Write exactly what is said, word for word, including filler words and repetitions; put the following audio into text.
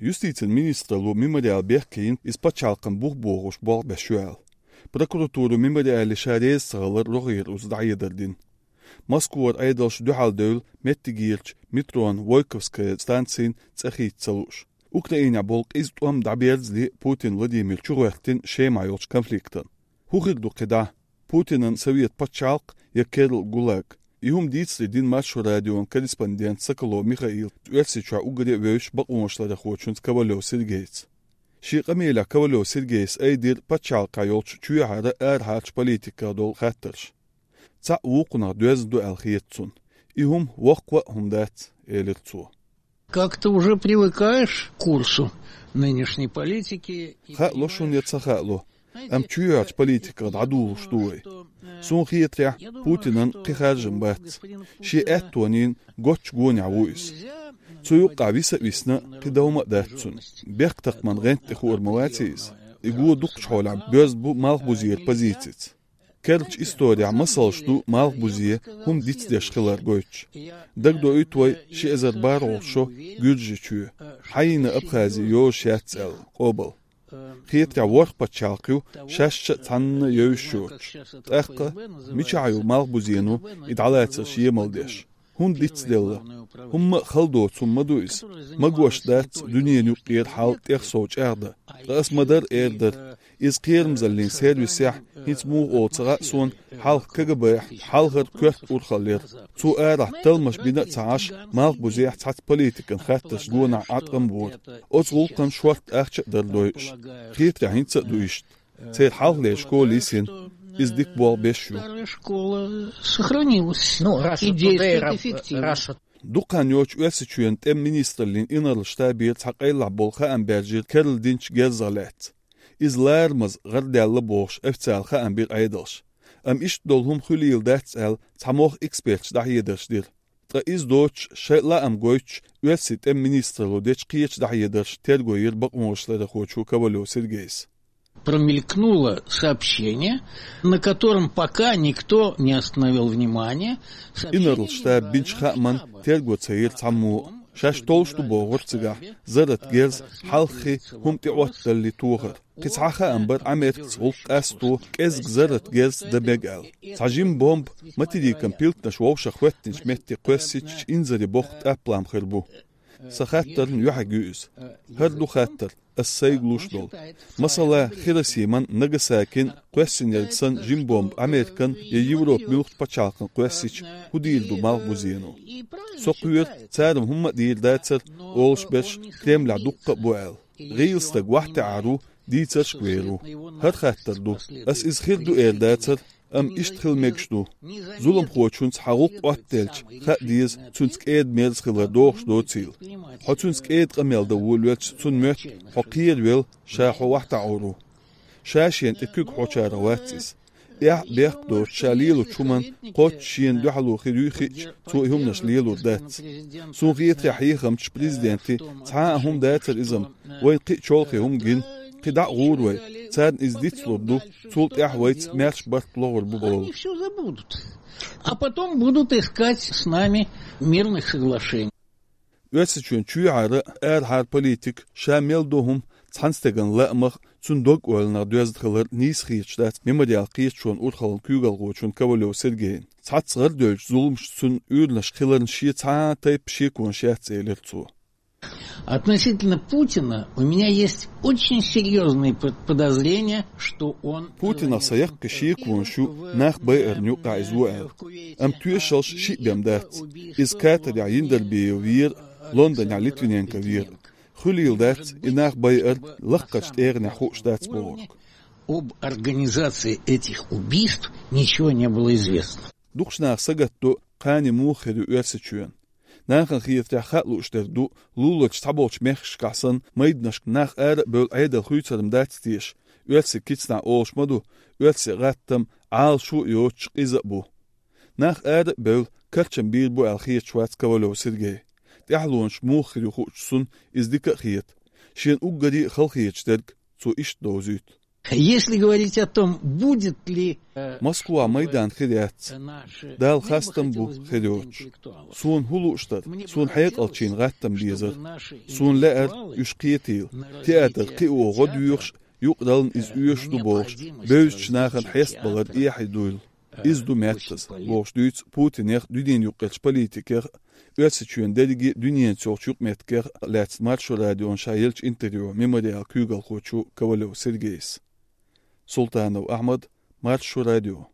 Юстицин министралло Мемориал бехке йина, из пачхьалкхана бух богӀуш болх беш ю аьлла. Прокуратуро Мемориале ша реза ца хилар рогӀера уза дӀахьедар дина. Москвара Ӏедалша дуьхьал девлла меттигерча метрон Войковская станцин цӀе хийца ца лууш. Украинехь болу къиза тӀом дӀаберзале Путин Владимир чугӀоьртина Шемахь йолчу конфликтана. ХӀун хир ду кхидӀа? Путинан совет пачхьалкх я керла ГУЛАГ? И хӀума дийцаре дина Маршо радион корреспондент Соколов Михаил Оьрсийчохь уггаре а вевзаш бакъонашларъярхочуьнца Ковалев Сергейца. Шен къамелехь Ковалев Сергейс айдира пачхьалкхехь йолчу чоьхьара арахьарчу политиках долу хаттарш. Цхьаъ вукхунах доьзна ду аьлла хета цунна. И хӀума воккха а хӀума дац, элира цо. Как-то уже привыкаешь к курсу нынешней политики. Хаало шуна я ца хаало, амма чоьхьарчу политиках дӀадугӀуш ду вай. Суна хетарехь, Путинан кхин харжам бац. Шен аьттонийн гоччу гонехь ву иза. Цу юккъехь виса а висна, кхин дан хӀума а дац цунна. Бехктакхаман гӀанта тӀе хуур ма вац иза. И го дукхачу хьолехь боьзна бу Малхбузера позицица. Керлачу исторехь масалш ду Малхбузе хӀума дицдеш хилар гойтуш. Дагадоуьйту вай ши эзар бархӀалгӀа шо Гуьржийчоь, хьайна Абхази йозуш яц аьлла, къобал. Хетарехь ворхӀ пачхьалкх ю, шаьш а цхьанна йовзуш йоцуш. ТӀаккха мичахь ю Малхбузено и дӀалацарш емал деш? ХӀунда дицделла? ХӀумма а хала доцу хӀума ма ду иза. Магош дац дуьненан юккъера хьал тӀех сов чӀагӀдан. Ткъа ас ма-дарра эр дара. Иза кхерамзаллин сервисехь, хӀинца муха олу ца хаьа суна, хьалха КГБ-хь хьалхара коьрта урхалла яра. Цо арахь талламаш бина а ца Ӏаш, Малхбузехь цхьацца политикан хаттарш гонах Ӏаткъам бора. Оцу гӀуллакхан шорта ахча а дара дойуш. Хетарехь хӀинца а ду иштта. Церан хьалхалера школа йисина, иза дика болх беш ю. Старая школа сохранилась. Ну, раз и оттуда действует эффективно. Дукха хан йоцуш Оьрсийчоьнан тӀеман министраллин инарла штабера цхьа къайлахь болу хаам баьржира керла динчу герзах лаьцна. Иза ларамаза гӀардаьлла бохуш официалан хаам бира Ӏедалша. Амма иштта долу хӀума хуьлийла дац аьлла, цхьа могӀа эксперташа дӀахьедарш дира. Ткъа иза доцуш, шайн лаам гойтуш, оьрсийн тӀеман министралло дечу кхечу дӀахьедарша терго йира бакъонашларъярхочо Ковалев Сергейс. Промелькнуло сообщение, на котором пока никто не остановил внимания. Инарла штаба бинчу хааман терго ца йира цхьаммо а. Шаьш толлуш ду бохура цигахь зарратан герз хьалххе хӀума тӀеӀоттадалале тохар. Кхин цхьа хаам бара Ӏамеркаца гӀуллакх къасто кӀезиг зарратан герз дан мега аьлла. Цхьа жима бомба материкан пилтанаш вовшах хӀоьттинчу метте кхоьссича, инзаре боккха тӀаплам хир бу. Сан хаттарна юьхьиг ю иза. ХӀара ду хаттар, ас сайга луш долу. Масала, Хиросиман, Нагасакин кхоьссинарг санна жима бомба Американ я Европан муьлхха пачхьалкхан кхоьссича, хӀун дийр ду Малхбузено? Со кхоьру, цара-м хӀумма а дийр дацара, олуш берш Кремлехь дуккха а бу аьлла. ГӀийла стаг вахтехьар ву, дийцаршка вер ву. ХӀара хаттар ду. Ас иза хир ду эр дацара, амма иштта хила мегаш ду. Зуламхочунца хьан гӀуллакх Ӏоттаделча, хаа деза, цуьнца кӀеда-мерза хилар догӀуш доцийла. Хьо цуьнца кӀеда къамел дан волавелча, цунна моьтту, хьо кхеравелла, ша хьо вахтахьур ву. Ша шена тӀе куьг хьочарах вац иза. Эхь а, бехк а доцуш, ша лелочу хӀуманна кхоччуш шена дуьхьало хир юй хиъча, цо и хӀуманаш лелур дац. Суна хетарехь, хьехамчаш, президенте цхьа а хӀума дацара иза-м, вайна кхин а чолхе хӀума гина, кхин дӀа а гӀур вай, царна иза дицлур ду, цул тӀаьхьа вайца маьрша барт лохур бу бохула. Они всё забудут. А потом будут искать с нами мирных соглашений. Оьрсийчоьнан чоьхьара, арахьара политика, ша мел до хӀума, цхьана стеган лаамах, цуьнан дог-ойланах доьзна хилар нийса хеташ дац Мемориал кхеташонан урхаллин куьйгалхочунна Ковалев Сергейна. Цхьацца гӀардевллачу зуламашца цуьнан уьйранаш хиларна шен цхьа а тайпа шеконаш яц, элира цо. Относительно Путина у меня есть очень серьёзные под-, подозрения, что он Путинах сан яккхий шеконаш ю, нах байарна юкъахь иза ву аьлла. Амма тоьшаллаш шиъ бен дац. Иза Катарехь Яндарбиев вера, Лондонехь Литвиненко вера. Хуьлийла дац, и нах байар лаккхарчу тӀегӀанехь хууш дац бохург. Об организации этих убийств ничего не было известно. Дукхачу наха сагатдо, кхане муха хир ю Оьрсийчоьнан. Нахана хетарехь, хаа лууш дерг ду, луларчу цхьаболчу мехкашкахь санна, майданашка нах ара а бевлла, Ӏедал хуьйцур-м дац теша. Оьрсийн кицнахь олуш ма ду, оьрсийн гӀаттам Ӏалашо а йоцуш, къиза а бу. Нах ара а бевлла, карчам бийр бу аьлла хеташ вац Ковалев Сергей. ТӀаьхьалонаш муха хир ю хуучу цунна иза дика а хета. Шена уггаре а хала хеташ дерг цо иштта довзуьйту. Если говорить о том, будет ли Москва майдан хир яц. Дала хастам бу хир йоцуш. Суна хӀун лууш дара, суна хьекъалчийн гӀаттам безара. Суна лаьара уьш кхетийла. Театр кхио гӀо доьхуш, юкъараллина иза оьшуш ду бохуш, бевзачу нахана хьестабалар эхье дуйла. Иза ду меттаза, бохуш дуьйцу Путинех, дуьненан юккъерчу политикех, Оьрсийчоьнан дерриге а дуьненца йолчу юкъаметтигех а лаьцна Маршо радиона ша еллачу интервьюхь Мемориалан куьйгалхочо Ковалев Сергейс. Султанов Ахьмад, Маршо радио.